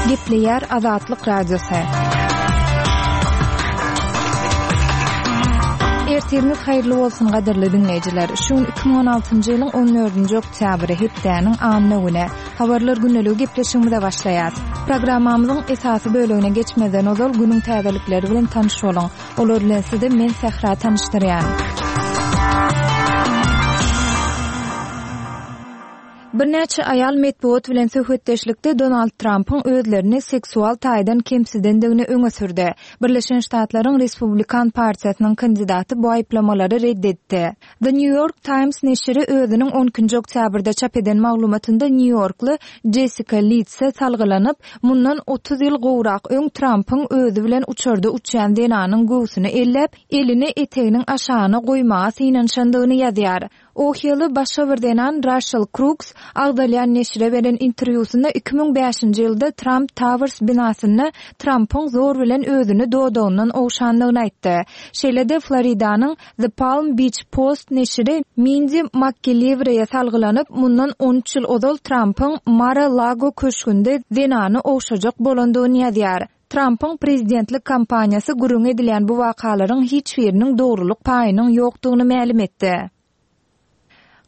Gepleýär Azatlyk Radiosy. Ertiriňiz haýyrly bolsun gadyrly diňleýjiler. Şu gün 2016-njy ýylyň 14-nji oktýabry, hepdäniň anna güni. Habarlar gündeligi gepleşigimize başlaýas. Programmamyzyň esasy bölegine geçmezden ozal günüň täzelikleri bilen tanyş boluň. Olar bilen sizi men Sähra tanyşdyrýan. Birnäçe aýal metbugat bilen söhbetdeşlikde Donald Trampyň özlerini seksual taýdan kemsidendigini öňe sürdi. Birleşen Ştatlaryň Respublikan partiýasynyň kandidaty bu aýyplamalary red etdi. The New York Times neşiri özüniň on ikinji oktýabrda çap eden maglumatynda nýu-ýorkly Jessika Lidse salgylanyp, mundan 30 ýyl gowrak öň Trampyň özi bilen uçarda uçýan zenanyň göwsüni elläp, elini eteginiň aşagyna goýmaga synanyşandygyny ýazýar. Ohiýaly başga bir zenan Raşel Kruks agzalýan neşire beren interwýusynda 2005-nji ýylda Tramp Towers binasynda Trampyň zor bilen özüni dodagyndan ogşandygyny aýtdy. Şeýle-de Floridanyň The Palm Beach Post neşiri Mindi MakGilliwreýe salgylanyp, mundan 13 ýyl ozal Trampyň Mar-a-Lago köşgünde zenany ogşajak bolandygyny ýazýar. Trampyň prezidentlik kampaniýasy gürrüňi edilýän bu wakalaryň hiç biriniň dogrulyk paýynyň ýokdugyny mälim etdi.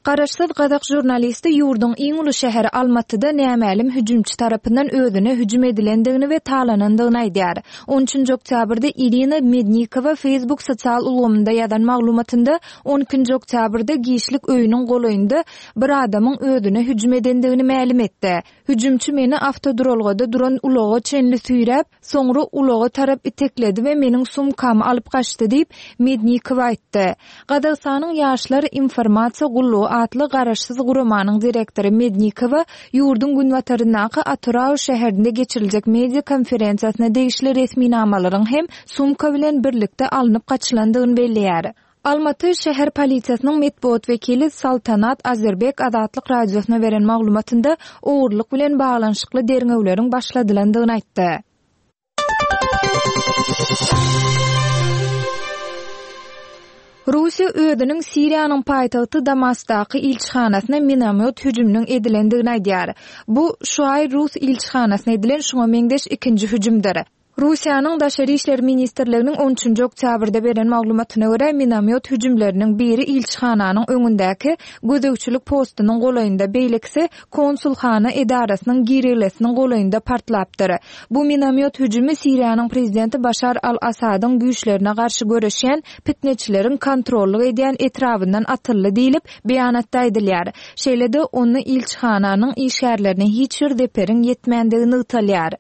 Garaşsyz gazak žurnalisti ýurduň iň uly şäheri Almatyda nämälim hüjümçi tarapyndan özüne hüjüm edilendigini we talanandygyny aýdýar. On üçünji oktýabrda Irina Mednikowa Facebook sosial ulgamynda ýazan maglumatynda on ikinji oktýabrda giçlik öýüniň golaýynda bir adamyň özüne hüjüm edendigini mälim etdi. Hüjümçi meni awtoduralgada duran ulaga çenli süýräp, soňra ulaga tarap itekledi we meniň sumkamy alyp gaçdy diýip, Mednikowa aýtdy. Gazagystanyň Ýaşlar informasiýa gullugy atly garaşsyz guramanyň direktory Mednikowa ýurduň günbataryndaky Atyrau şäherinde geçiriljek media konferensiýasyna degişli resminamalaryň hem sumka bilen birlikde alnyp gaçylandygyny belleýär. Almaty şäher polisiýasynyň metbugat wekili Saltanat Azerbek Azatlyk Radiosyna beren maglumatynda ogurlyk bilen baglanyşykly derňewleriň başladylandygyny aýtdy. Russiýa özüniň Siriýanyň paýtagty Damaskdaky ilçihanasyna minomýot hüjüminiň edilendigini aýdýar. Bu, şu aý rus ilçihanasyna edilen şuňa meňzeş ikinji hüjümdir. Russiýanyň Daşary işler ministrliginiň on üçünji oktýabrda beren maglumatyna görä, minomýot hüjümleriniň biri ilçihananyň öňündäki gözegçilik postunyň golaýynda, beýlekisi konsulhana edarasynyň girelgesiniň golaýynda partlapdyr. Bu minomýot hüjümi Siriýanyň prezidenti Başar al-Assadyň güýçlerine garşy göreşýän pitneçileriň kontrollyk edýän etrabyndan atyldy diýlip, beýanatda aýdylýar. Şeýle-de, onda ilçihananyň işgärlerine hiç bir zeperiň ýetmändigi nygtalýar.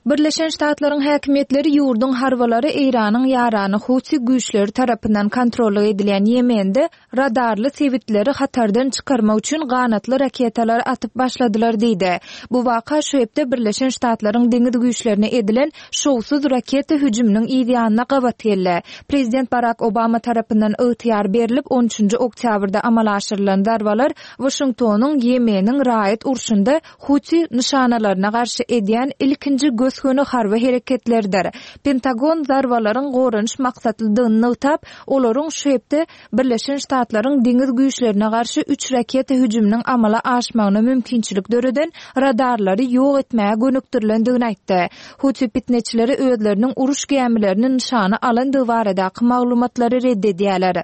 Birleşen Ştatlaryň häkimiýetleri ýurduň harbylary Eýranyň ýarany Huti güýçleri tarapyndan kontrollyk edilýän Ýemende radarly sebitleri hatardan çykarmak üçin ganatly raketalary atyp başladylar diýdi. Bu waka şu hepde Birleşen Ştatlaryň deňiz güýçlerine edilen şowsuz raketa hüjüminiň yz ýanyna gabat geldi. Prezident Barak Obama tarapyndan ygtyýar berlip, on üçünji oktýabrda amala aşyrylan zarbalar Waşingtonyň Ýemeniň raýat urşunda Huti nyşanalaryna garşy edýän ilkinji gös-göni harby hereketleridir. Pentagon zarbalaryň goranyş maksatlydygyny nygtap, olaryň şu hepde Birleşen Ştatlaryň deňiz güýçlerine garşy üç raketa hüjüminiň amala aşmagyna mümkinçilik döreden radarlary ýok etmäge gönükdirilendigini aýtdy. Huti pitneçileri özleriniň uruş gämilerini nyşana alandygy baradaky maglumatlary red edýärler.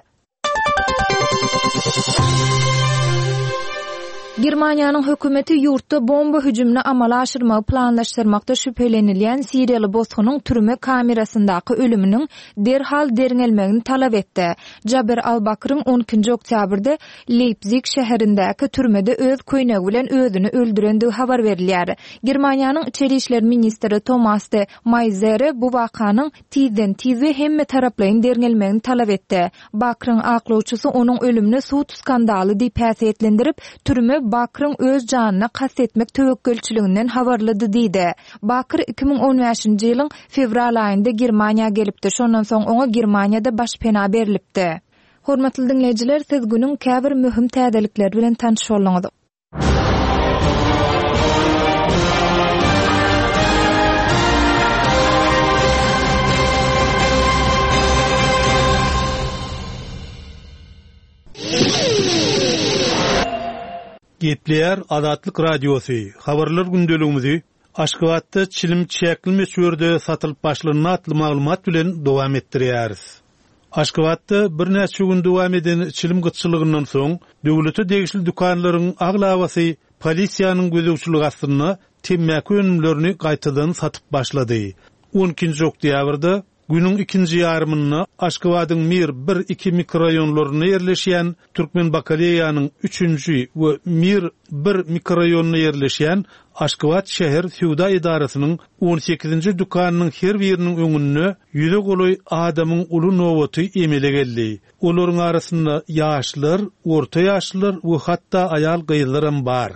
Germaniýanyň hökümeti ýurtda bomba hüjümini amala aşyrmagy planlaşdyrmakda şübhelenilýän siriýaly bosgunyň türme kamerasyndaky ölüminiň derhal derňelmegini talap etdi. Jaber al-Bakryň on ikinji oktýabrda Leýpzig şäherindäki türmede öz köýnegi bilen özüni öldürendigi habar berilýär. Germaniýanyň içeri işler ministri Tomas de Maýzere bu wakanyň tizden-tiz we hemmetaraplaýyn derňelmegini talap etdi. Bakryň aklawçysy onuň ölümini sud skandaly diýip häsiýetlendirip, türme Bakryň öz janyna kast etmek töwekgelçiliginden habarlydy diýdi. Bakr 2015-nji ýylyň fewral aýynda Germaniýa gelipdi, şondan soň oňa Germaniýada başpena berlipdi. Hormatly diňleýjiler, siz günüň käbir möhüm täzelikleri bilen tanyş bolduňyz. Gepleýär Azatlyk Radiosy, Habarlar gündeligimizi. Aşgabatda çilim çäkli möçberde satylyp başlandy atly maglumat bilen dowam etdirýäris. Aşgabatda birnäçe gün dowam eden çilim gytçylygyndan soň, döwlete degişli dükanlaryň aglabasy polisiýanyň gözegçiligi astynda temmäki önümlerini gaýtadan satyp başlady. On ikinji oktýabrda Günüň ikinji ýarymynda Aşgabadyň Mir bir, iki mikroraýonlarynda ýerleşýän Türkmenbakaleýanyň üçünji we Mir bir mikroraýonynda ýerleşýän Aşgabat şäher söwda edarasynyň on sekizinji dükanynyň her biriniň öňünde ýüze golaý adamyň uly nobaty emele geldi. Olaryň arasynda ýaşlar, orta ýaşlylar we hatda aýal-gyzlaram bar.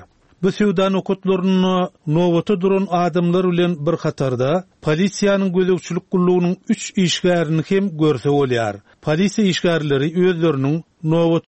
Bu söwda nokatlarynda nobata duran adamlar bilen bir hatarda, polisiýanyň gözegçilik gullugynyň üç işgärini hem görse bolýar. Polisiýa işgärleri özleriniň nobat.